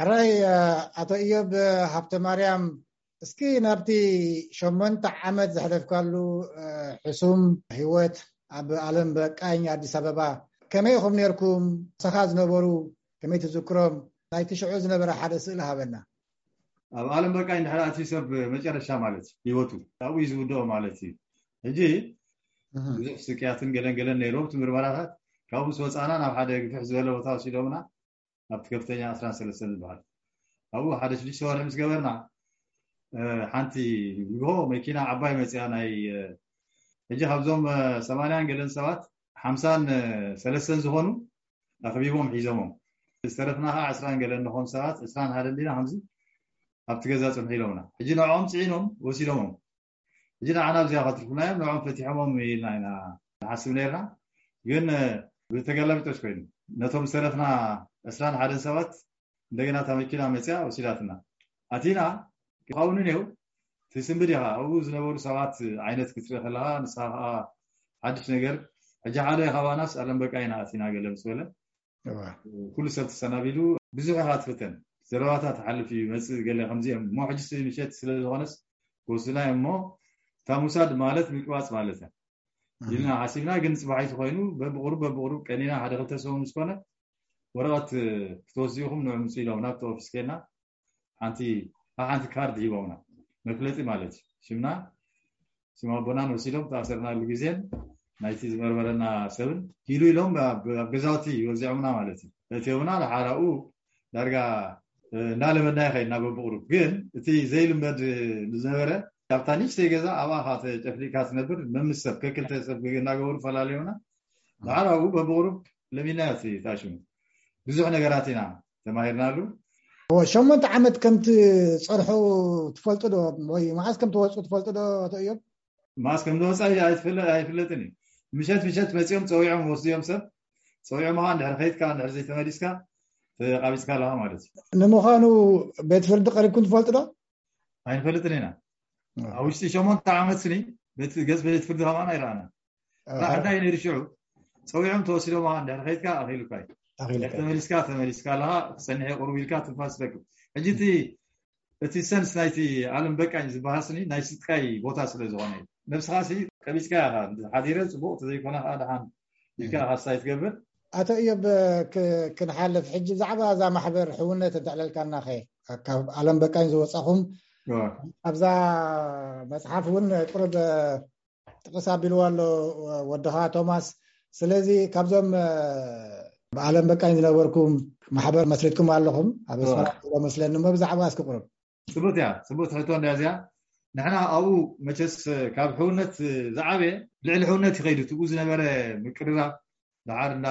ሕራይ ኣቶ እዮብ ሃብተ ማርያም፣ እስኪ ናብቲ ሸሞንተ ዓመት ዘሕለፍካሉ ሕሱም ህይወት ኣብ ኣለም በቃኝ ኣዲስ ኣበባ ከመይ ኢኹም ነርኩም? ሰኻ ዝነበሩ ከመይ ትዝክሮም? ናይቲ ሽዑ ዝነበረ ሓደ ስእሊ ሃበና። ኣብ ኣለም በቃኝ ድሕሪ ኣትዩ ሰብ መጨረሻ ማለት ህይወቱ ኣብኡ እዩ ዝውድኦ ማለት እዩ። ሕጂ ብዙሕ ስቅያትን ገለን ገለን ነይሩ እቲ ምርመራታት። ካብኡ ምስ ወፃና ናብ ሓደ ግፍሕ ዝበለ ቦታ ወሲዶምና ኣብቲ ከፍተኛ ዕስራን ሰለስተን ዝበሃል ኣብኡ ሓደ ሽዱሽተ ወርሒ ምስ ገበርና ሓንቲ ንግሆ መኪና ዓባይ መፅያ ናይ ሕጂ ካብዞም ሰማንያን ገለን ሰባት ሓምሳን ሰለስተን ዝኾኑ ኣኽቢቦም ሒዞሞም ዝተረፍና ከዓ ዕስራን ገለን ንኾን ሰባት ዕስራን ሓደን ዲና ከምዚ ኣብቲ ገዛ ፅንሑ ኢሎምና። ሕጂ ንዕኦም ፅዒኖም ወሲዶሞም። ሕጂ ንዓና ኣብዚኣ ከትርፉና እዮም ንዕኦም ፈቲሖሞም ኢልና ኢና ንሓስብ ነርና። ግን ብተገላቢጦሽ ኮይኑ ነቶም ዝተረፍና ዕስራን ሓደን ሰባት እንደገና እታ መኪና መፅያ ወሲዳትና። ኣቲና ይኸውን ነው ትስንብድ ኢኻ ኣብኡ ዝነበሩ ሰባት ዓይነት ክትርኢ ከለኻ ንስኻ ከዓ ሓድሽ ነገር። ሕጂ ሓደ ካባናስ ኣለም በቃ ኢና ኣቲና ገለ ምስ በለ ኩሉ ሰብ ተሰናቢዱ ብዙሕ ኢኻ ትፍተን። ዘረባታት ትሓልፍ እዩ መፅእ ገለ ከምዚኦም እሞ ሕጂ ምሸት ስለ ዝኾነስ ክወስዱና እዮም እሞ እታ ሙሳድ ማለት ምቅባፅ ማለት እያ ኢልና ሓሲብና። ግን ፅባሒቲ ኮይኑ በብቁሩብ በብቁሩብ ቀኒና ሓደ ክልተ ሰሙን ምስ ኮነ ወረቐት ክትወስዱ ኢኹም ንዕምፁ ኢሎም ናብቲ ኦፊስ ኬና ሓንቲ ሓንቲ ካርድ ሂቦምና መፍለጢ ማለት እዩ። ሽምና ስም ኣቦናን ወሲዶም ተኣሰርናሉ ግዜን ናይቲ ዝመርመረና ሰብን ሂሉ ኢሎም ኣብ ገዛውቲ ወዚዖምና ማለት እዩ። እቲዮምና ንሓራኡ ዳርጋ እንዳለመድና ይኸይድና በብቁሩብ። ግን እቲ ዘይልመድ ዝነበረ ኣብታ ንእሽተይ ገዛ ኣብኣ ካ ተጨፍሊቅካ ትነብር መምስ ሰብ ከክልተ ሰብ እናገበሩ ፈላለዩና። ንሓራኡ በብቁሩብ ለሚድና እቲ ታሽሙ ብዙሕ ነገራት ኢና ተማሂርናሉ። ሸሞንተ ዓመት ከም ትፀንሑ ትፈልጡ ዶ? ወይ መዓስ ከም ትወፁ ትፈልጡ ዶ? ኣቶ እዮም መዓስ ከም ዝወፃ ኣይፍለጥን እዩ። ምሸት ምሸት መፂኦም ፀዊዖም ወስድዮም ሰብ ፀዊዖም ኻ እንድሕር ከይድካ እንድሕር ዘይተመሊስካ ተቃቢፅካ ኣለካ ማለት እዩ። ንምዃኑ ቤት ፍርዲ ቀሪብኩም ትፈልጡ ዶ? ኣይንፈልጥን ኢና። ኣብ ውሽጢ ሸሞንተ ዓመት ስኒ ገፅ ቤት ፍርዲ ከማን ኣይረኣና። እንታይ ነይሩ ሽዑ ፀዊዖም ተወሲዶም ኻ እንድሕር ከይድካ ኣኺሉካ እዩ። ተመሊስካ ተመሊስካ ኣለኻ ክፀንሐ ቁሩብ ኢልካ ትንፋስ ትረክብ። ሕጂ እቲ እቲ ሰንስ ናይቲ ኣለም በቃኝ ዝበሃል ስኒ ናይ ስጥቃይ ቦታ ስለ ዝኾነ እዩ። ነብስኻ ሲ ቀቢፅካ ኢኻ ሓዲረ ፅቡቅ ተዘይኮነ ከዓ ደሓን ኢልካ ካሳይ ትገብር። ኣቶ እዮብ ክንሓልፍ ሕጂ ብዛዕባ እዛ ማሕበር ሕውነት እንተዕለልካና ኸ ካብ ኣለም በቃኝ ዝወፃኹም ኣብዛ መፅሓፍ እውን ቁርብ ጥቅስ ኣቢልዎ ኣሎ ወድኻ ቶማስ። ስለዚ ካብዞም ብኣለም በቃኝ ዝነበርኩም ማሕበር መስሪትኩም ኣለኹም ኣብ ኣስመራ መስለኒ እሞ ብዛዕባ እስኪ ቁርብ። ፅቡቅ እያ ፅቡቅ ትሕቶ እንዳ እዚኣ ንሕና ኣብኡ መቸስ ካብ ሕውነት ዝዓበየ ልዕሊ ሕውነት ይኸይዱ ትብኡ ዝነበረ ምቅርራብ ደሓር እንዳ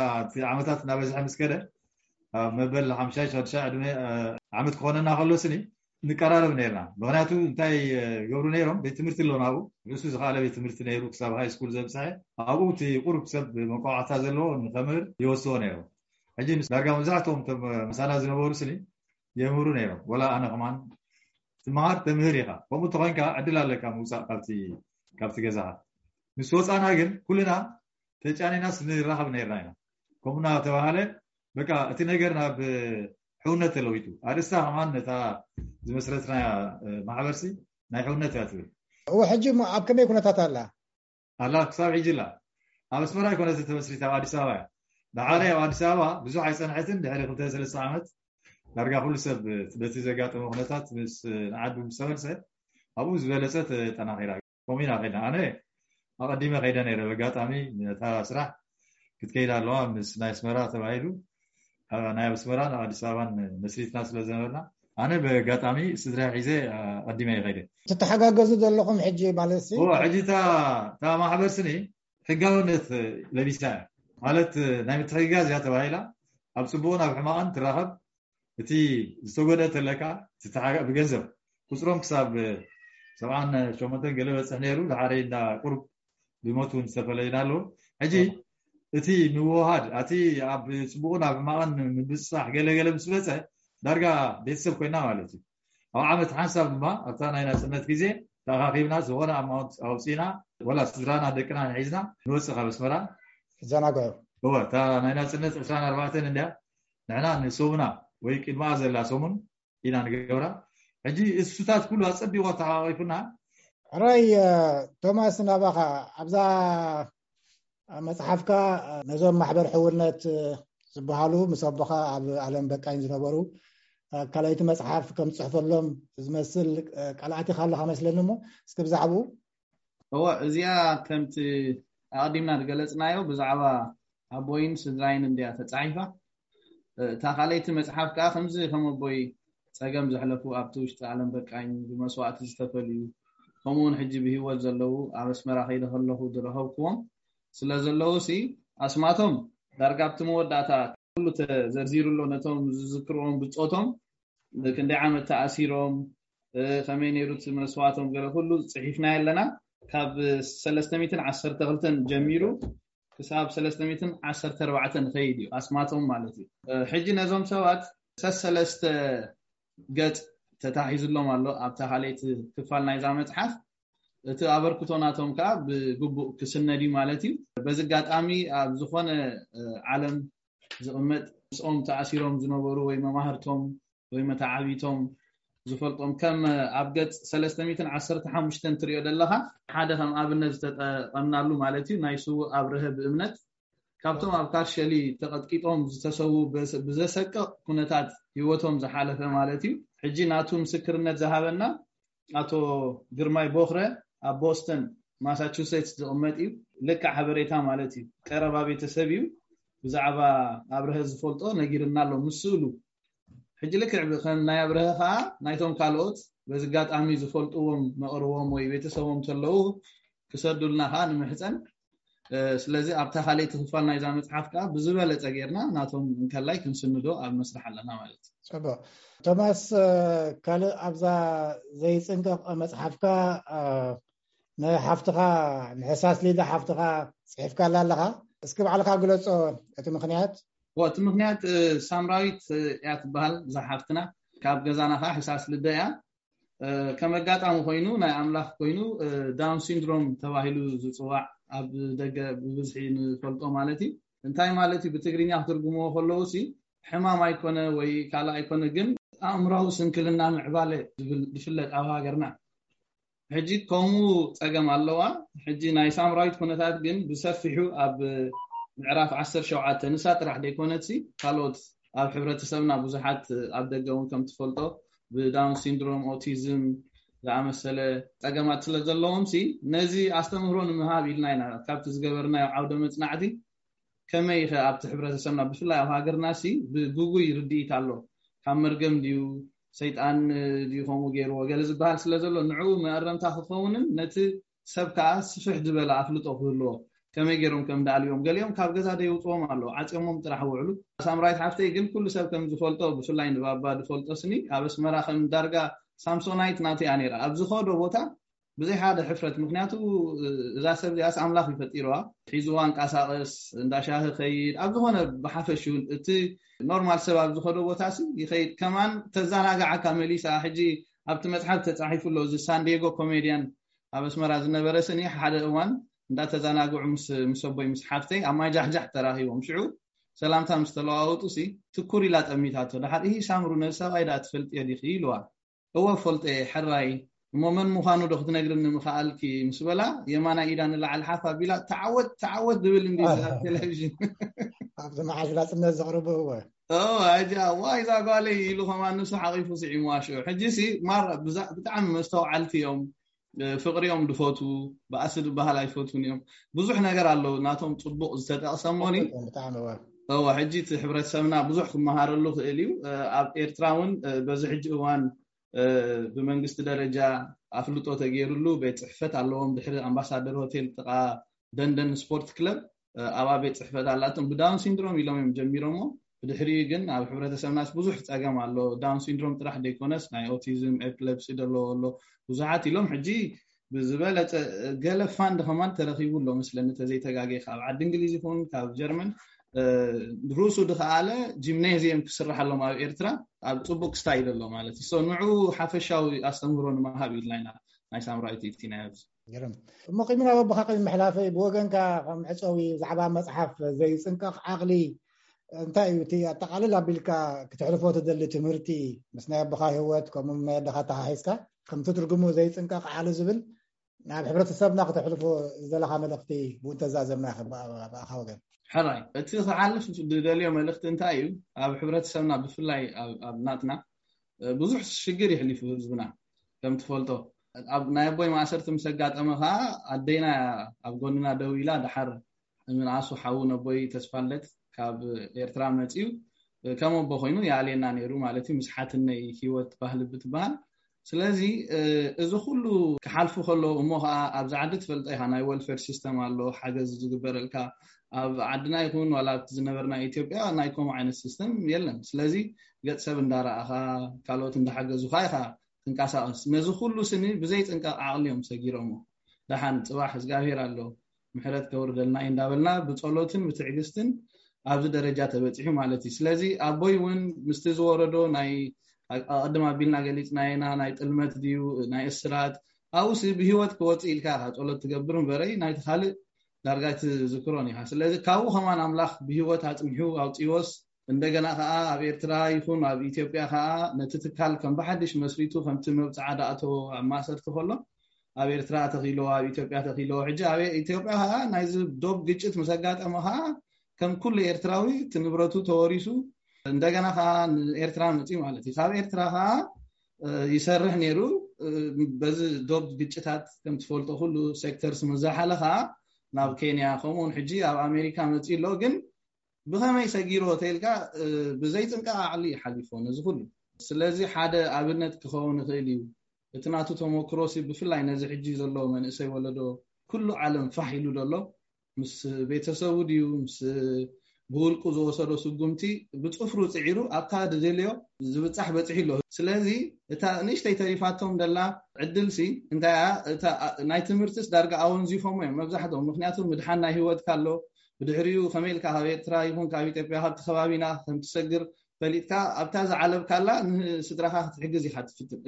ዓመታት እናበዝሐ ምስ ከደ ኣብ መበል ሓምሻይ ሻድሻይ ዕድመ ዓመት ክኾነና ከሎ ስኒ ንቀራረብ ነርና። ምክንያቱ እንታይ ገብሩ ነይሮም ቤት ትምህርቲ ኣለዎም ኣብኡ ርእሱ ዝካኣለ ቤት ትምህርቲ ነይሩ ክሳብ ሃይ ስኩል ዘብፅሐ ኣብኡ እቲ ቁሩብ ሰብ መቋዕታ ዘለዎ ንከምህር ይወስዎ ነይሮም። ሕጂ ዳርጋ መብዛሕትኦም ምሳና ዝነበሩ ስኒ የምህሩ ነይሮም። ወላ ኣነ ከማን ትመሃር ተምህር ኢኻ። ከምኡ እንተኮይንካ ዕድል ኣለካ ምውፃእ ካብቲ ገዛኻ። ምስ ወፃና ግን ኩልና ተጫኒናስ ንራኸብ ነርና ኢና። ከምኡ እናተባሃለ በቃ እቲ ነገር ናብ ሕውነት ተለዊጡ። ኣርእስታ ከማን ነታ ዝመስረትና ማሕበርሲ ናይ ሕውነት እያ ትብል። እወ ሕጂ እሞ ኣብ ከመይ ኩነታት ኣላ? ኣላ ክሳብ ሕጂ ኣላ። ኣብ ኣስመራ ኣይኮነትን ተመስሪታ ኣብ ኣዲስ ኣበባ እያ። ደሓረ ኣብ ኣዲስ ኣበባ ብዙሕ ኣይፀንሐትን ድሕሪ ክልተ ሰለስተ ዓመት ዳርጋ ኩሉ ሰብ በቲ ዘጋጠመ ኩነታት ምስ ንዓዱ ምስ ተመልሰ ኣብኡ ዝበለፀ ተጠናኺራ። ከምኡ ኢና ከይድና ኣነ ኣቐዲመ ከይደ ነይረ በጋጣሚ ነታ ስራሕ ክትከይድ ኣለዋ ምስ ናይ ኣስመራ ተባሂሉ ናይ ኣስመራን ኣዲስ ኣበባን መስሪትና ስለ ዝነበርና ኣነ በጋጣሚ ስድራ ሒዘ ኣቐዲመ ይኸይደ። ትተሓጋገዙ ዘለኹም ሕጂ ማለት ሲ? ሕጂ እታ ማሕበር ስኒ ሕጋውነት ለቢሳ እያ ማለት ናይ ምትሕግጋዝ እያ ተባሂላ ኣብ ፅቡቕን ኣብ ሕማቕን ትራኸብ እቲ ዝተጎደ ተለካ ብገንዘብ ቁፅሮም ክሳብ ሰብዓን ሸሞንተን ገለ በፅሕ ነይሩ። ዝሓረይ እንዳ ቁሩብ ብሞት እውን ዝተፈለዩና ኣለዉ። ሕጂ እቲ ምውሃድ ኣቲ ኣብ ፅቡቕን ኣብ ሕማቕን ምብፅፃሕ ገለገለ ምስ በፀ ዳርጋ ቤተሰብ ኮይና ማለት እዩ። ኣብ ዓመት ሓንሳብ ድማ ኣብታ ናይ ናፅነት ግዜ ተኣኻኺብና ዝኾነ ኣማውንት ኣውፂና ወላ ስድራና ደቅና ንሒዝና ንወፅእ ካብ ኣስመራ። ዘናግዑ። እወ እታ ናይ ናፅነት ዕስራን ኣርባዕተን እንድያ ንሕና ንሶብና ወይ ቅድማ ዘላ ሰሙን ኢና ንገብራ። ሕጂ እሱታት ኩሉ ኣጸቢቑ ኣተሓቋቂፉና። ሕራይ ቶማስ፣ ናባኻ ኣብዛ መጽሓፍካ ነዞም ማሕበር ሕውነት ዝበሃሉ ምስ ኣቦኻ ኣብ ዓለም በቃኝ ዝነበሩ ካልኣይቲ መጽሓፍ ከም ትጽሕፈሎም ዝመስል ቃል ኣቲኻ ኣለኻ መስለኒ። እሞ እስኪ ብዛዕባኡ። እወ፣ እዚኣ ከምቲ ኣቐዲምና ዝገለጽናዮ ብዛዕባ ኣቦይን ስድራይን እንድያ ተጻሒፋ። እታ ካልኣይቲ መጽሓፍ ከኣ ከምዚ ከም ኣቦይ ጸገም ዘሕለፉ፣ ኣብቲ ውሽጢ ዓለም በቃኝ ብመስዋእቲ ዝተፈልዩ፣ ከምኡ እውን ሕጂ ብህይወት ዘለዉ ኣብ ኣስመራ ከይደ ከለኹ ዝረኸብክዎም ስለ ዘለዉ ሲ ኣስማቶም ዳርጋ ኣብቲ መወዳእታ ኩሉ ተዘርዚሩ ኣሎ። ነቶም ዝዝክርዎም ብጾቶም ክንደይ ዓመት ተኣሲሮም፣ ከመይ ነይሩ እቲ መስዋእቶም ገለ ኩሉ ጽሒፍናዮ ኣለና። ካብ ሰለስተ ሚእትን ዓሰርተ ክልተን ጀሚሩ ክሳብ ሰለስተ ሚእትን ዓሰርተ ኣርባዕተን ንኸይድ እዩ ኣስማቶም ማለት እዩ። ሕጂ ነዞም ሰባት ሰሰለስተ ገጽ ተታሒዝሎም ኣሎ ኣብታ ካልኣይቲ ክፋል ናይዛ መጽሓፍ። እቲ ኣበርክቶ ናቶም ከዓ ብግቡእ ክስነድ እዩ ማለት እዩ። በዚ ኣጋጣሚ ኣብ ዝኾነ ዓለም ዝቕመጥ ምስኦም ተኣሲሮም ዝነበሩ ወይ መማህርቶም ወይ መተዓቢቶም ዝፈልጦም ከም ኣብ ገጽ ሰለስተ ሚእትን ዓሰርተ ሓሙሽተን ትሪኦ ዘለኻ ሓደ ከም ኣብነት ዝተጠቐምናሉ ማለት እዩ ናይ ስዉእ ኣብርሀ ብእምነት ካብቶም ኣብ ካርሸሊ ተቐጥቂጦም ዝተሰዉ ብዘሰቅቕ ኩነታት ህይወቶም ዝሓለፈ ማለት እዩ። ሕጂ ናቱ ምስክርነት ዝሃበና ኣቶ ግርማይ ቦኽረ ኣብ ቦስተን ማሳቹሴትስ ዝቕመጥ እዩ። ልክዕ ሓበሬታ ማለት እዩ። ቀረባ ቤተሰብ እዩ። ብዛዕባ ኣብርሀ ዝፈልጦ ነጊርና ኣሎ ምስ ስእሉ። ሕጂ ልክዕ ከም ናይ ኣብርሀ ከዓ ናይቶም ካልኦት በዚ ኣጋጣሚ ዝፈልጥዎም መቕርቦም ወይ ቤተሰቦም ተለዉ ክሰዱልና ከዓ ንምሕፀን። ስለዚ ኣብታ ካልኣይቲ ክፋል ናይዛ መፅሓፍ ከዓ ብዝበለፀ ጌርና ናቶም እንከላይ ክንስንዶ ኣብ መስርሕ ኣለና ማለት እዩ። ፅቡቅ። ቶማስ፣ ካልእ ኣብዛ ዘይፅንቀቕ መፅሓፍካ ንሓፍትኻ ንሕሳስ ሊዳ ሓፍትኻ ፅሒፍካላ ኣለኻ። እስኪ ባዕልኻ ግለፆ እቲ ምክንያት። እቲ ምክንያት ሳምራዊት እያ ትበሃል እዛ ሓፍትና። ካብ ገዛና ከዓ ሕሳስ ልደ እያ። ከም ኣጋጣሚ ኮይኑ ናይ ኣምላኽ ኮይኑ ዳውን ሲንድሮም ተባሂሉ ዝፅዋዕ ኣብ ደገ ብብዝሒ ንፈልጦ ማለት እዩ። እንታይ ማለት እዩ ብትግርኛ ክትርጉምዎ ከለዉ ሲ ሕማም ኣይኮነ ወይ ካልእ ኣይኮነ ግን ኣእምራዊ ስንክልና ምዕባለ ዝብል ዝፍለጥ ኣብ ሃገርና ሕጂ ከምኡ ፀገም ኣለዋ። ሕጂ ናይ ሳምራዊት ኩነታት ግን ብሰፊሑ ኣብ ምዕራፍ ዓሰርተ ሸውዓተ ንሳ ጥራሕ ዘይኮነትሲ ካልኦት ኣብ ሕብረተሰብና ብዙሓት ኣብ ደገ እውን ከም ትፈልጦ ብዳውን ሲንድሮም ኦቲዝም ዝኣመሰለ ፀገማት ስለ ዘለዎም ሲ ነዚ ኣስተምህሮ ንምሃብ ኢልና ኢና ካብቲ ዝገበርናዮ ዓውደ መፅናዕቲ ከመይ ከ ኣብቲ ሕብረተሰብና ብፍላይ ኣብ ሃገርና ሲ ብግጉይ ርድኢት ኣሎ ካብ መርገም ድዩ ሰይጣን ድዩ ከምኡ ገይርዎ ገለ ዝበሃል ስለ ዘሎ ንዕኡ መእረምታ ክኸውንን ነቲ ሰብ ከዓ ስፍሕ ዝበለ ኣፍልጦ ክህልዎ ከመይ ገይሮም ከም ዳልዮም ገሊኦም ካብ ገዛ ደይውፅዎም ኣለዉ ዓፅዮሞም ጥራሕ ውዕሉ። ሳምራዊት ሓፍተይ ግን ኩሉ ሰብ ከም ዝፈልጦ ብፍላይ ንባባ ዝፈልጦ ስኒ ኣብ ኣስመራ ከም ዳርጋ ሳምሶናይት ናተይ እያ ነይራ ኣብ ዝኸዶ ቦታ ብዘይ ሓደ ሕፍረት ምክንያቱ እዛ ሰብ እዚኣስ ኣምላኽ ይፈጢርዋ ሒዝዋ እንቀሳቐስ እንዳሻሂ ከይድ ኣብ ዝኾነ ብሓፈሽኡ እቲ ኖርማል ሰብ ኣብ ዝኸዶ ቦታ ሲ ይኸይድ ከማን ተዘናግዓካ መሊሳ ሕጂ ኣብቲ መፅሓፍ ተፃሒፉ ኣሎ እዚ ሳንዲየጎ ኮሜድያን ኣብ ኣስመራ ዝነበረ ስኒ ሓደ እዋን እንዳተዘናግዑ ምስ ኣቦይ ምስ ሓፍተይ ኣብ ማይ ጃሕጃሕ ተራኺቦም ሽዑ ሰላምታ ምስ ተለዋወጡ ሲ ትኩር ኢላ ጠሚታቶ ደሓር እሂ ሳምሩ ነዚ ሰብኣይ ደኣ ትፈልጥዮ ዲኺ ኢልዋ እወ ፈልጦ እየ ሕራይ እሞ መን ምዃኑ ዶ ክትነግርኒ ምኸኣልኪ ምስ በላ የማናይ ኢዳ ንላዕሊ ሓፍ ኣቢላ ተዓወት ተዓወት ዝብል እንዲ ኣብ ቴሌቪዥን ኣብዚ መዓሽ ናፅነት ዘቕርቡ እወ ኣጃ ዋይ እዛ ጓለይ ኢሉ ከማን ንሱ ሓቒፉ ስዒምዋ ሽዑ ሕጂ ሲ ማራ ብጣዕሚ መስተውዓልቲ እዮም ፍቅሪ እዮም ዝፈትዉ ባእሲ ዝበሃል ኣይፈትዉን እዮም ብዙሕ ነገር ኣለዉ ናቶም ፅቡቅ ዝተጠቅሰሞኒ እወ ሕጂ እቲ ሕብረተሰብና ብዙሕ ክመሃረሉ ክእል እዩ ኣብ ኤርትራ እውን በዚ ሕጂ እዋን ብመንግስቲ ደረጃ ኣፍልጦ ተገይሩሉ ቤት ፅሕፈት ኣለዎም ድሕሪ ኣምባሳደር ሆቴል ጥቃ ደንደን ስፖርት ክለብ ኣብኣ ቤት ፅሕፈት ኣላቶም ብዳውን ሲንድሮም ኢሎም እዮም ጀሚሮሞ ብድሕሪኡ ግን ኣብ ሕብረተሰብናስ ብዙሕ ፀገም ኣሎ ዳውን ሲንድሮም ጥራሕ ዘይኮነስ ናይ ኦቲዝም ኤፕለፕሲ ዘለዎ ኣሎ ብዙሓት ኢሎም ሕጂ ብዝበለፀ ገለ ፋንድ ከማን ተረኪቡ ኣሎ መስለኒ ተዘይተጋጌ ካብ ዓዲ እንግሊዝ ይኹን ካብ ጀርመን ርእሱ ድከኣለ ጂምናዚየም ክስርሓሎም ኣብ ኤርትራ ኣብ ፅቡቅ ክስታይ ዘሎ ማለት እዩ ንዑ ሓፈሻዊ ኣስተምህሮ ንምሃብ ኢልና ኢና ናይ ሳምራዊት ኢትናዮ እሞ ቅድሚ ናብ ኣቦካ ቅድሚ ምሕላፈይ ብወገንካ ከም መዕፀዊ ዛዕባ መፅሓፍ ዘይፅንቀቕ ዓቕሊ እንታይ እዩ እቲ ኣጠቓልል ኣቢልካ ክትሕልፎ ትደሊ ትምህርቲ? ምስ ናይ ኣቦኻ ህይወት ከምኡ ናይ ኣደኻ ተሓሒዝካ ከምቲ ትርጉሙ ዘይጽንቀቕ ዓሊ ዝብል ናብ ሕብረተሰብና ክተሕልፎ ዝደለኻ መልእኽቲ ብኡ እንተዛዘምና ይኽእል ብኣኻ ወገን። ሕራይ፣ እቲ ክሓልፍ ዝደልዮ መልእኽቲ እንታይ እዩ? ኣብ ሕብረተሰብና ብፍላይ ኣብ ናትና ብዙሕ ሽግር ይሕሊፉ ህዝብና። ከም ትፈልጦ፣ ኣብ ናይ ኣቦይ ማእሰርቲ ምስ ኣጋጠመ ከዓ ኣደይና ኣብ ጎንና ደው ኢላ፣ ደሓር ምንኣሱ ሓዉ ነቦይ ተስፋለት ካብ ኤርትራ መፅዩ ከም ኣቦ ኮይኑ ይኣልየና ነይሩ ማለት እዩ፣ ምስ ሓትነይ ህይወት ባህሊ ብትበሃል። ስለዚ እዚ ኩሉ ክሓልፉ ከለዉ እሞ ከዓ ኣብዚ ዓዲ ትፈልጦ ኢኻ፣ ናይ ወልፌር ሲስተም ኣሎ፣ ሓገዝ ዝግበረልካ። ኣብ ዓድና ይኹን ዋላ ኣብቲ ዝነበርና ኢትዮጵያ ናይ ከምኡ ዓይነት ሲስተም የለን። ስለዚ ገጽ ሰብ እንዳረኣኻ፣ ካልኦት እንዳሓገዙኻ ኢኻ ትንቀሳቐስ። ነዚ ኩሉ ስኒ ብዘይ ጽንቃቕ ዓቕሊ እዮም ሰጊሮሞ። ደሓን ጽባሕ እግዚኣብሔር ኣሎ፣ ምሕረት ከውርደልና እዩ እንዳበልና ብጸሎትን ብትዕግስትን ኣብዚ ደረጃ ተበጺሑ ማለት እዩ። ስለዚ ኣቦይ እውን ምስቲ ዝወረዶ ናይ ኣቐድም ኣቢልና ገሊጽናየና ናይ ጥልመት ድዩ ናይ እስራት ኣብኡሲ ብህይወት ክወጽእ ኢልካ ኢኻ ጸሎት ትገብር እምበረይ ናይቲ ካልእ ዳርጋ ትዝክሮን ኢኻ። ስለዚ ካብኡ ከማን ኣምላኽ ብህይወት ኣጽኒሑ ኣውጺዎስ እንደገና ከኣ ኣብ ኤርትራ ይኹን ኣብ ኢትዮጵያ ከኣ ነቲ ትካል ከም ብሓድሽ መስሪቱ ከምቲ መብጽዓ ዳእቶ ኣብ ማእሰርቲ ከሎ ኣብ ኤርትራ ተኺሎ ኣብ ኢትዮጵያ ተኺሎ ሕጂ ኣብ ኢትዮጵያ ከኣ ናይዚ ዶብ ግጭት ምስ ኣጋጠመ ከኣ ከም ኩሉ ኤርትራዊ እቲ ንብረቱ ተወሪሱ እንደገና ከኣ ንኤርትራ መጺኡ ማለት እዩ። ካብ ኤርትራ ከኣ ይሰርሕ ነይሩ። በዚ ዶብ ግጭታት ከም ትፈልጦ ኩሉ ሴክተርስ ምስ ዝሓለ ከኣ ናብ ኬንያ ከምኡውን ሕጂ ኣብ ኣሜሪካ መጺኡ ኣሎ። ግን ብኸመይ ሰጊሮ ተይልካ ብዘይ ጽንቃቕ ዓቕሊ እዩ ሓሊፎ ነዚ ኩሉ። ስለዚ ሓደ ኣብነት ክኸውን ይኽእል እዩ። እቲ ናቱ ተመክሮሲ ብፍላይ ነዚ ሕጂ ዘሎ መንእሰይ ወለዶ ኩሉ ዓለም ፋሕ ኢሉ ዘሎ ምስ ቤተሰቡ ድዩ ምስ ብውልቁ ዝወሰዶ ስጉምቲ ብጽፍሩ ጽዒሩ ኣብታ ዝደልዮ ዝብጻሕ በጺሑ ኣሎ። ስለዚ እታ ንእሽተይ ተሪፋቶም ደላ ዕድልሲ እንታይ እያ? እታ ናይ ትምህርትስ ዳርጋ ኣወንዚፎሞ እዮም መብዛሕትኦም። ምክንያቱ ምድሓን ናይ ህይወትካ ኣሎ። ብድሕሪኡ ከመይ ኢልካ ካብ ኤርትራ ይኹን ካብ ኢትዮጵያ ካብቲ ከባቢና ከምትሰግር ፈሊጥካ ኣብታ ዝዓለብካላ ንስድራኻ ክትሕግዝ ኢኻ ትፍትን።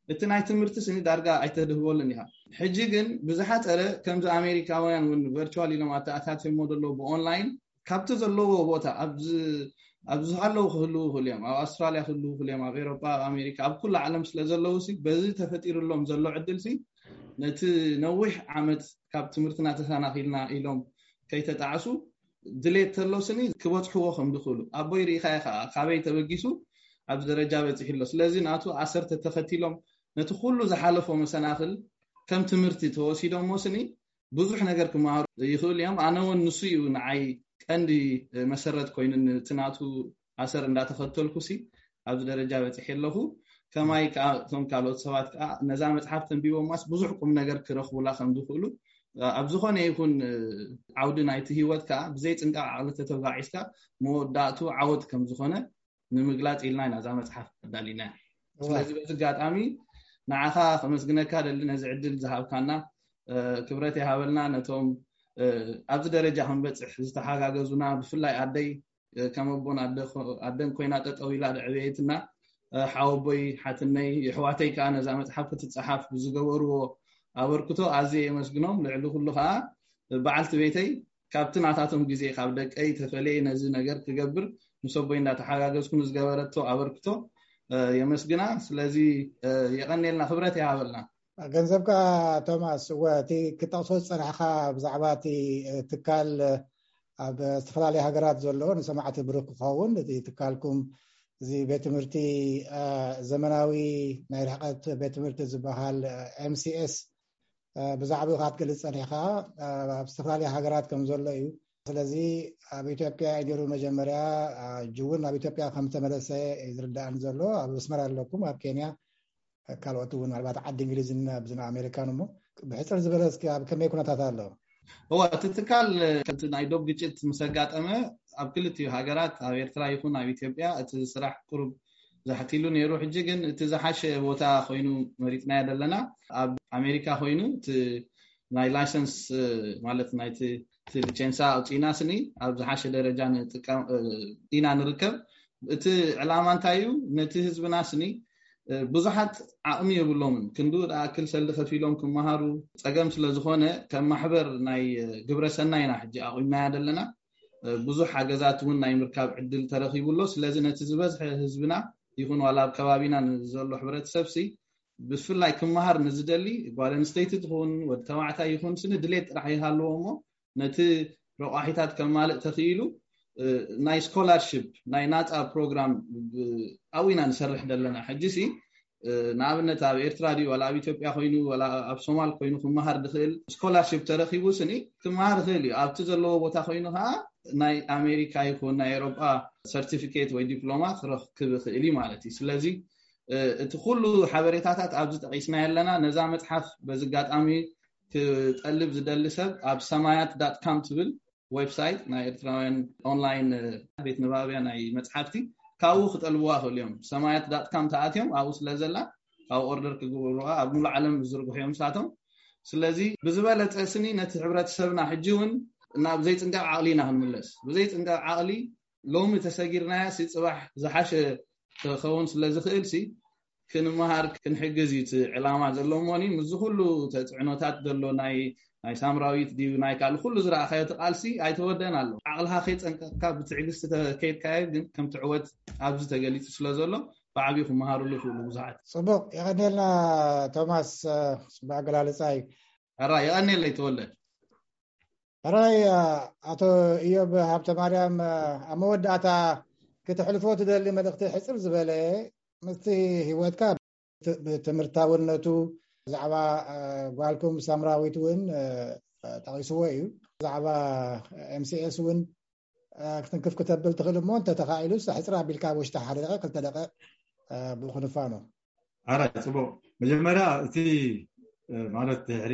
እቲ ናይ ትምህርቲ ስኒ ዳርጋ ኣይተድህበሉን ኢኻ። ሕጂ ግን ብዝሓፀረ ከምዚ ኣሜሪካውያን እውን ቨርቹዋል ኢሎም ኣተኣታትሞ ዘለዉ ብኦንላይን ካብቲ ዘለዎ ቦታ ኣብ ዝሃለዉ ክህልዉ ይኽእሉ እዮም። ኣብ ኣውስትራልያ ክህልዉ ይኽእሉ እዮም፣ ኣብ ኤሮጳ፣ ኣብ ኣሜሪካ፣ ኣብ ኩሉ ዓለም ስለ ዘለዉ ሲ በዚ ተፈጢሩሎም ዘሎ ዕድል ሲ ነቲ ነዊሕ ዓመት ካብ ትምህርትና ተሰናኺልና ኢሎም ከይተጣዕሱ ድሌት ተሎ ስኒ ክበጽሕዎ ከም ዝኽእሉ ኣቦይ ርኢኻዮ ከዓ ካበይ ተበጊሱ ኣብዚ ደረጃ በፂሑ ኣሎ። ስለዚ ናቱ ኣሰርተ ተኸቲሎም ነቲ ኩሉ ዝሓለፎ መሰናኽል ከም ትምህርቲ ተወሲዶሞ ስኒ ብዙሕ ነገር ክመሃሩ ይኽእሉ እዮም። ኣነ እውን ንሱ እዩ ንዓይ ቀንዲ መሰረት ኮይኑ እቲ ናቱ ኣሰር እንዳተኸተልኩ ሲ ኣብዚ ደረጃ በፂሐ ኣለኹ። ከማይ ከዓ እቶም ካልኦት ሰባት ከዓ ነዛ መፅሓፍ ተንቢቦማስ ብዙሕ ቁም ነገር ክረኽቡላ ከም ዝኽእሉ ኣብ ዝኾነ ይኹን ዓውዲ ናይቲ ህይወት ከዓ ብዘይ ፅንቃቕ ዓቕሊ ተተጓዒዝካ መወዳእቱ ዓወት ከም ዝኾነ ንምግላፅ ኢልና ኢና እዛ መፅሓፍ ኣዳሊና። ስለዚ በዚ ኣጋጣሚ ንዓኻ ከመስግነካ ደሊ ነዚ ዕድል ዝሃብካና ክብረት ይሃበልና። ነቶም ኣብዚ ደረጃ ክንበፅሕ ዝተሓጋገዙና ብፍላይ ኣደይ ከም ኣቦን ኣደን ኮይና ጠጠው ኢላ ዘዕበየትና ሓወቦይ ሓትነይ የሕዋተይ ከዓ ነዛ መፅሓፍ ክትፀሓፍ ብዝገበርዎ ኣበርክቶ ኣዝየ የመስግኖም። ልዕሊ ኩሉ ከዓ በዓልቲ ቤተይ ካብቲ ናታቶም ግዜ ካብ ደቀይ ተፈለየ ነዚ ነገር ክገብር ምስ ኣቦይ እንዳተሓጋገዝኩ ንዝገበረቶ ኣበርክቶ የመስግና። ስለዚ የቐንየልና፣ ክብረት ይሃበልና። ገንዘብካ ቶማስ፣ እወ እቲ ክጠቕሶ ዝጸናሕካ ብዛዕባ እቲ ትካል ኣብ ዝተፈላለያ ሃገራት ዘሎ ንሰማዕቲ ብሩክ ክኸውን እቲ ትካልኩም እዚ ቤት ትምህርቲ ዘመናዊ ናይ ርሕቀት ቤት ትምህርቲ ዝበሃል ኤምሲኤስ ብዛዕባኡ ክትገልጽ ጸኒሕካ ኣብ ዝተፈላለያ ሃገራት ከም ዘሎ እዩ። ስለዚ ኣብ ኢትዮጵያ እዩ ነይሩ መጀመርያ፣ ሕጂ እውን ኣብ ኢትዮጵያ ከም ዝተመለሰ እዩ ዝርዳእኒ ዘሎ። ኣብ ኣስመራ ኣለኩም፣ ኣብ ኬንያ ካልኦት እውን ምናልባት ዓዲ እንግሊዝን ኣብዚ ኣሜሪካን እሞ ብሕፅር ዝበለ እስኪ ኣብ ከመይ ኩነታት ኣሎ? እወ፣ እቲ ትካል ከምቲ ናይ ዶብ ግጭት ምስ ኣጋጠመ ኣብ ክልቲኡ ሃገራት ኣብ ኤርትራ ይኹን ኣብ ኢትዮጵያ እቲ ስራሕ ቁሩብ ዛሕቲሉ ነይሩ። ሕጂ ግን እቲ ዝሓሸ ቦታ ኮይኑ መሪፅናዮ ዘለና ኣብ ኣሜሪካ ኮይኑ እቲ ናይ ላይሰንስ ማለት ናይቲ እቲ ሊቸንሳ ኣውፂእና ስኒ ኣብ ዝሓሸ ደረጃ ንጥቀም ኢና ንርከብ። እቲ ዕላማ እንታይ እዩ? ነቲ ህዝብና ስኒ ብዙሓት ዓቕሚ የብሎምን። ክንዱ ዝኣክል ሰልዲ ከፊሎም ክመሃሩ ፀገም ስለ ዝኾነ ከም ማሕበር ናይ ግብረ ሰናይ ኢና ሕጂ ኣቑምናያ ዘለና። ብዙሕ ሓገዛት እውን ናይ ምርካብ ዕድል ተረኺቡ ኣሎ። ስለዚ ነቲ ዝበዝሐ ህዝብና ይኹን ዋላ ኣብ ከባቢና ንዘሎ ሕብረተሰብ ሲ ብፍላይ ክመሃር ንዝደሊ ጓል ኣንስተይቲ ትኹን ወዲ ተባዕታይ ይኹን ስኒ ድሌት ጥራሕ ይሃልዎ እሞ ነቲ ረቋሒታት ከማልእ ተኽኢሉ ናይ ስኮላርሽፕ ናይ ናፃ ፕሮግራም ኣብኡ ኢና ንሰርሕ ዘለና። ሕጂ ሲ ንኣብነት ኣብ ኤርትራ ድዩ ዋላ ኣብ ኢትዮጵያ ኮይኑ ዋላ ኣብ ሶማል ኮይኑ ክመሃር ድኽእል ስኮላርሽፕ ተረኪቡ ስኒ ክመሃር ይኽእል እዩ። ኣብቲ ዘለዎ ቦታ ኮይኑ ከዓ ናይ ኣሜሪካ ይኹን ናይ ኤሮጳ ሰርቲፊኬት ወይ ዲፕሎማ ክረክብ ይኽእል እዩ ማለት እዩ። ስለዚ እቲ ኩሉ ሓበሬታታት ኣብዚ ጠቂስና ኣለና። ነዛ መፅሓፍ በዚ ኣጋጣሚ ክጠልብ ዝደሊ ሰብ ኣብ ሰማያት ዳት ካም ትብል ዌብሳይት ናይ ኤርትራውያን ኦንላይን ቤት ንባብያ ናይ መፅሓፍቲ ካብኡ ክጠልብዋ ክእል እዮም። ሰማያት ዳት ካም ተኣትዮም ኣብኡ ስለ ዘላ ካብ ኦርደር ክግብሩዋ ኣብ ሙሉ ዓለም ዝዝርግሑ እዮም ንሳቶም። ስለዚ ብዝበለፀ ስኒ ነቲ ሕብረተሰብና ሕጂ እውን ናብ ዘይፅንቀቕ ዓቕሊ ኢና ክንምለስ። ብዘይፅንቀቕ ዓቕሊ ሎሚ ተሰጊርናያ ሲ ፅባሕ ዝሓሸ ክኸውን ስለ ዝኽእል ሲ ክንመሃር ክንሕግዝ እዩ እቲ ዕላማ ዘሎ። እሞኒ ምስዚ ኩሉ ተፅዕኖታት ዘሎ ናይ ናይ ሳምራዊት ድዩ ናይ ካልእ ኩሉ ዝረኣኻዮ እቲ ቃልሲ ኣይተወደን ኣሎ። ዓቕልኻ ከይፀንቀቕካ ብትዕግስቲ ተከይድካዮ ግን ከም ትዕወት ኣብዚ ተገሊፁ ስለ ዘሎ ብዓብዩ ክመሃሩሉ ይኽእሉ ብዙሓት። ፅቡቕ የቐንየልና ቶማስ፣ ፅቡቕ ኣገላልፃ እዩ። ሕራ የቐንየለይ ተወልደ። ሕራይ ኣቶ እዮብ ሃብተ ማርያም፣ ኣብ መወዳእታ ክትሕልፎ ትደሊ መልእኽቲ ሕፅር ዝበለ ምስቲ ህይወትካ ብትምህርታውነቱ ብዛዕባ ጓልኩም ሳምራዊት እውን ጠቂስዎ እዩ። ብዛዕባ ኤምሲኤስ እውን ክትንክፍ ክተብል ትኽእል እሞ እንተተኻኢሉ ሕፅር ኣቢልካ ውሽጢ ሓደ ደቂቕ ክልተ ደቂቕ ብኡ ክንፋኖ። ኣራይ ፅቡቅ። መጀመርያ እቲ ማለት ድሕሪ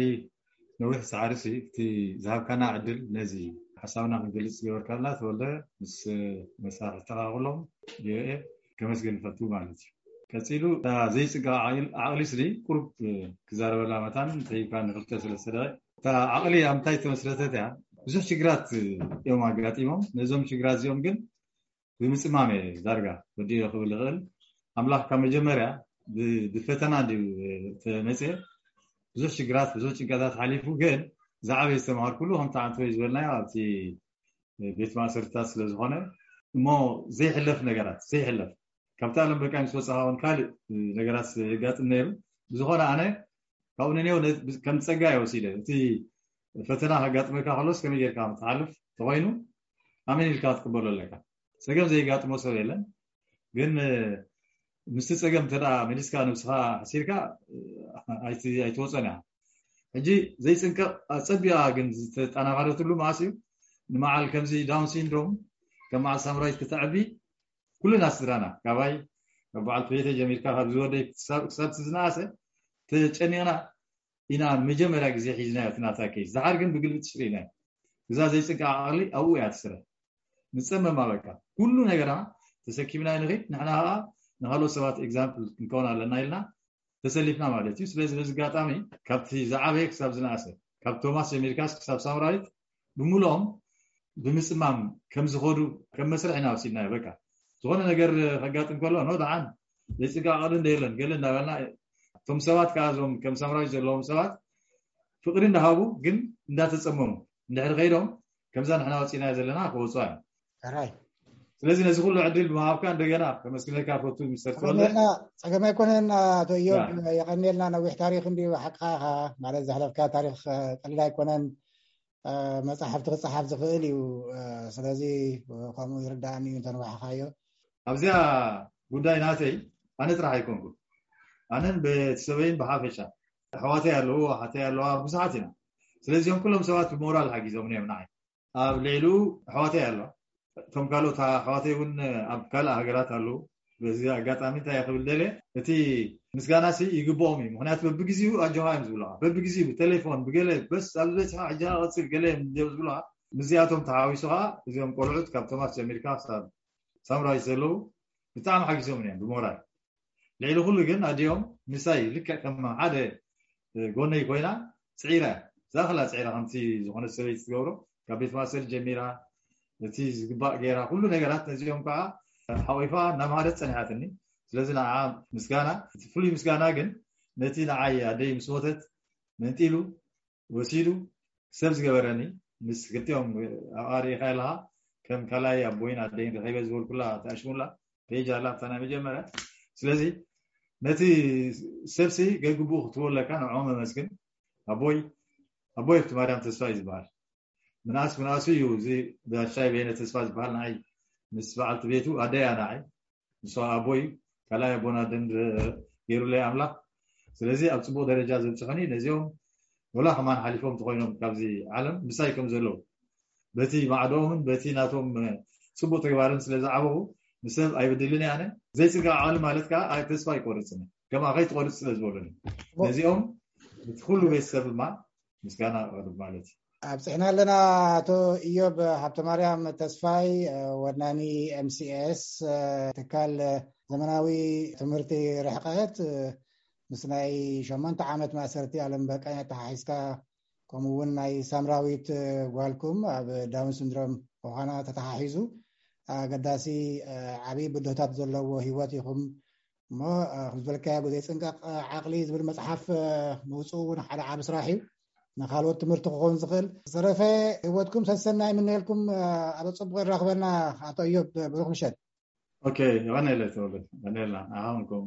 ነዊሕ ሳዕሪ ሲ እቲ ዝሃብካና ዕድል ነዚ ሓሳብና ክንገልፅ ዝገበርካልና ተወልደ ምስ መሳርሕትኻ ኩሎም ቪኦኤ ከመስግን ንፈቱ ማለት እዩ። ቀፂሉ እታ ዘይፅጋ ዓቕሊ ስሊ ቁሩብ ክዛረበላ መታን ተሂብካ ንክልተ ሰለስተ ደቂቕ። እታ ዓቕሊ ኣብ ምንታይ ተመስረተት እያ? ብዙሕ ሽግራት እዮም ኣጋጢሞም። ነዞም ሽግራት እዚኦም ግን ብምፅማም እየ ዳርጋ ወዲኦ ክብል ይኽእል። ኣምላኽ ካብ መጀመርያ ብፈተና እንድዩ ተመፅየ። ብዙሕ ሽግራት ብዙሕ ጭንቀታት ሓሊፉ ግን ዝዓበየ ዝተምሃርኩሉ ከምቲ ዓንተወይ ዝበልናዮ ኣብቲ ቤት ማእሰርትታት ስለዝኾነ እሞ ዘይሕለፍ ነገራት ዘይሕለፍ ካብቲ ኣለም በቃ ምስ ወፃኻ እውን ካልእ ነገራት የጋጥም ነይሩ። ብዝኾነ ኣነ ካብኡ ንኔው ከም ፀጋ እየ ወሲደ። እቲ ፈተና ከጋጥመካ ከሎስ ከመይ ጌርካ ትሓልፍ ተኮይኑ ኣመን ኢልካ ክትቅበሎ ኣለካ። ፀገም ዘይጋጥሞ ሰብ የለን። ግን ምስቲ ፀገም እንተ መሊስካ ነብስኻ ሓሲርካ ኣይትወፀን እያ። ሕጂ ዘይፅንቀቕ ኣፀቢቓ ግን ዝተጠናኸረትሉ መዓስ እዩ? ንመዓል ከምዚ ዳውን ሲንድሮም ከም መዓል ሳምራዊት ክተዕቢ ኩልና ስድራና ካባይ ካብ በዓልቲ ቤተይ ጀሚርካ ካብ ዝወደይ ክሳብ ዝነኣሰ ተጨኒቕና ኢና መጀመርያ ግዜ ሒዝናዮ እቲ ናታ ኬዝ። ደሓር ግን ብግልብጥ ሽሪናዮ። እዛ ዘይፅንቀቕ ዓቕሊ ኣብኡ እያ ትስረ። ንፀመም ኣበቃ ኩሉ ነገርና ተሰኪምና ንኽድ ንሕና ከዓ ንካልኦት ሰባት ኤግዛምፕል ክንከውን ኣለና ኢልና ተሰሊፍና ማለት እዩ። ስለዚ በዚ ኣጋጣሚ ካብቲ ዝዓበየ ክሳብ ዝነኣሰ ካብ ቶማስ ጀሚርካስ ክሳብ ሳምራዊት ብምልኦም ብምፅማም ከም ዝኸዱ ከም መስርሕ ኢና ወሲድናዮ። በቃ ዝኾነ ነገር ከጋጥም ከሎ ኖ ደሓን ዘይፅጋ ቀሉ እንደ የለን ገለ እንዳበልና እቶም ሰባት ከዓ እዞም ከም ሳምራዊት ዘለዎም ሰባት ፍቅሪ እንዳሃቡ ግን እንዳተፀመሙ እንድሕር ከይዶም ከምዛ ንሕና ወፂናዮ ዘለና ክወፁ እዮም። ሕራይ ስለዚ ነዚ ኩሉ ዕድል ብምሃብካ እንደገና ከመስግነካ ፈቱ ሚስተር ተወልደ። የቐንየልና። ጸገም ኣይኮነን ኣቶ እዮብ፣ ያ። የቐንየልና። ነዊሕ ታሪክ እንድዩ ሓቅኻ ኢኻ ማለት ዘሕለፍካ ታሪክ እ፣ ቀሊል ኣይኮነን። እ፣ መጻሕፍቲ ክጸሓፍ ዝኽእል እዩ። እ፣ ስለዚ ከምኡ ይርዳእኒ እዩ እንተንዋሕኻዮ። ኣብዚኣ ጉዳይ ናተይ ኣነ ጥራሕ ኣይኮንኩን። ኣነን ቤተሰበይን ብሓፈሻ ኣሕዋተይ ኣለዉ፣ ኣሓተይ ኣለዋ፣ ብዙሓት ኢና። ስለዚኦም ኩሎም ሰባት ብሞራል ሓጊዞም እዮም ንዓይ። ኣብ ልዕሊኡ ኣሕዋተይ ኣለዋ። እቶም ካልኦት ኣሕዋተይ እውን ኣብ ካልእ ሃገራት ኣለዉ። በዚ ኣጋጣሚ እንታይ ክብል ደልየ፣ እቲ ምስጋናሲ ይግብኦም እዩ። ምክንያቱ በብግዜኡ ኣጆኻ እዮም ዝብሉኻ። በብግዜኡ ብቴሌፎን ብገለ በስ ኣብ ዝበፅሐ ሕጂ ቀፅል ገለ እዮም ዝብሉኻ። ምስዚኣቶም ተሓዊሱ ከዓ እዚኦም ቆልዑት ካብ ቶማስ ጀሚርካ ክሳብ ሳምራዊት ዘለዉ ብጣዕሚ ሓጊዞም እዮም ብሞራል። ልዕሊ ኩሉ ግን ኣዲኦም ምሳይ ልክዕ ከም ሓደ ጎነይ ኮይና ፅዒራ እያ። ዝኣኽላ ፅዒራ ከምቲ ዝኾነት ሰበይቲ ትገብሮ ካብ ቤት ማእሰር ጀሚራ እቲ ዝግባእ ገይራ ኩሉ ነገራት ነዚኦም ከዓ ሓቂፋ እናምሃረት ፀኒሓትኒ። ስለዚ ንዓ ምስጋና እቲ ፍሉይ ምስጋና ግን ነቲ ንዓይ ኣደይ ምስ ሞተት መንጢሉ ወሲዱ ሰብ ዝገበረኒ ምስ ክልቲኦም ኣሪኢኻ ኣለኻ ከም ካልኣይ ኣቦይን ኣደይን ረኺበ ዝበልኩላ ተኣሽሙላ ፔጅ ኣላ ኣብታ ናይ መጀመርያ። ስለዚ ነቲ ሰብሲ ገግብኡ ክትበለካ ንዕኦም መመስግን። ኣቦይ ኣቦይ ኣብቲ ማርያም ተስፋ እዩ ዝበሃል። ምንኣስ ምንኣሱ እዩ እዚ ጋሻይ በየነ ተስፋ ዝበሃል ንዓይ ምስ በዓልቲ ቤቱ ኣደያ ንዓይ ንሱ ኣቦይ ካልኣይ ኣቦና ደንድ ገይሩለይ ኣምላኽ። ስለዚ ኣብ ፅቡቅ ደረጃ ዘብፅሑኒ ነዚኦም ወላ ከማን ሓሊፎም ተኮይኖም ካብዚ ዓለም ምሳይ ከም ዘለዉ በቲ ማዕዶምን በቲ ናቶም ፅቡቅ ተግባርን ስለ ዝዓበኹ ንሰብ ኣይብድልን እየ ኣነ። ዘይፅንቀቕ ዓቕሊ ማለት ከዓ ኣይ ተስፋ ኣይቆርፅን እየ። ከምኣ ከይትቆርፅ ስለ ዝበሉኒ ነዚኦም እቲ ኩሉ ቤተሰብ ድማ ምስጋና ኣቕርብ ማለት እዩ። ኣብፅሕና ኣለና። ኣቶ ኢዮብ ሃብተማርያም ተስፋይ፣ ወናኒ ኤምሲኤስ፣ ትካል ዘመናዊ ትምህርቲ ርሕቀት፣ ምስ ናይ ሸሞንተ ዓመት ማእሰርቲ ኣለም በቃኝ ኣተሓሒዝካ፣ ከምኡ እውን ናይ ሳምራዊት ጓልኩም ኣብ ዳውን ሲንድሮም ምዃና ተተሓሒዙ ኣገዳሲ ዓብዪ ብድሆታት ዘለዎ ህይወት ኢኹም እሞ፣ ከም ዝበልካዮ ዘይፅንቀቕ ዓቕሊ ዝብል መፅሓፍ ምውፅኡ እውን ሓደ ዓቢ ስራሕ እዩ። ንካልኦት ትምህርቲ ክኸውን ዝኽእል። ዝተረፈ ህይወትኩም ሰሰናይ ይምነየልኩም። ኣብ ፅቡቅ ይራኽበና። ኣቶ እዮብ፣ ብሩኽ ምሸት። ኦኬ፣ የቐነለ ተወለ፣ የቐነልና። ኣሁንኩም